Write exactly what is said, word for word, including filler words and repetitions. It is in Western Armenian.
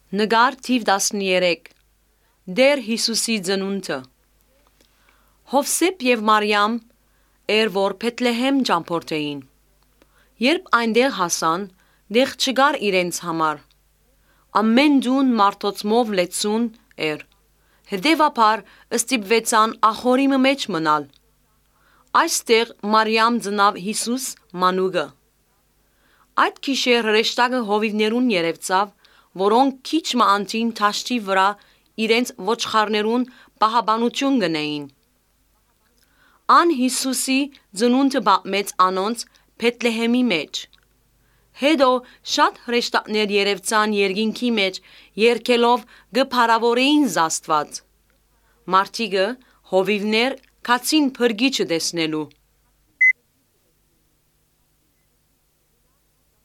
Նկար թիվ տասներեք։ Տէր Յիսուսի ծնունդը։ Յովսէփ եւ Մարիամ էր, որ Բեթլեհէմ ճամբորդէին։ Երբ այնտեղ հասան, տեղ չկար իրենց համար։ Ամէն տուն մարդոցմով լեցուն էր։ Հետեւաբար ստիպուեցան ախորի մը մէջ մնալ։ Այստեղ Մարիամ ծնաւ Յիսուս մանուկը։ Այդ գիշեր հրեշտակը հովիւներուն երեւցաւ, որոնք քիչ մը անդին դաշտի վրայ իրենց ոչխարներուն պահապանութիւն կ'ընէին։ Ան Յիսուսի ծնունդը պատմեց անոնց Բեթլեհէմի մէջ։ Հետո շատ հրեշտակներ երեւցան երկինքի մէջ, երգելով կը փառաւորէին Աստուած։ Մարդիկը, հովիւներ գացին փրկիչը տեսնելու։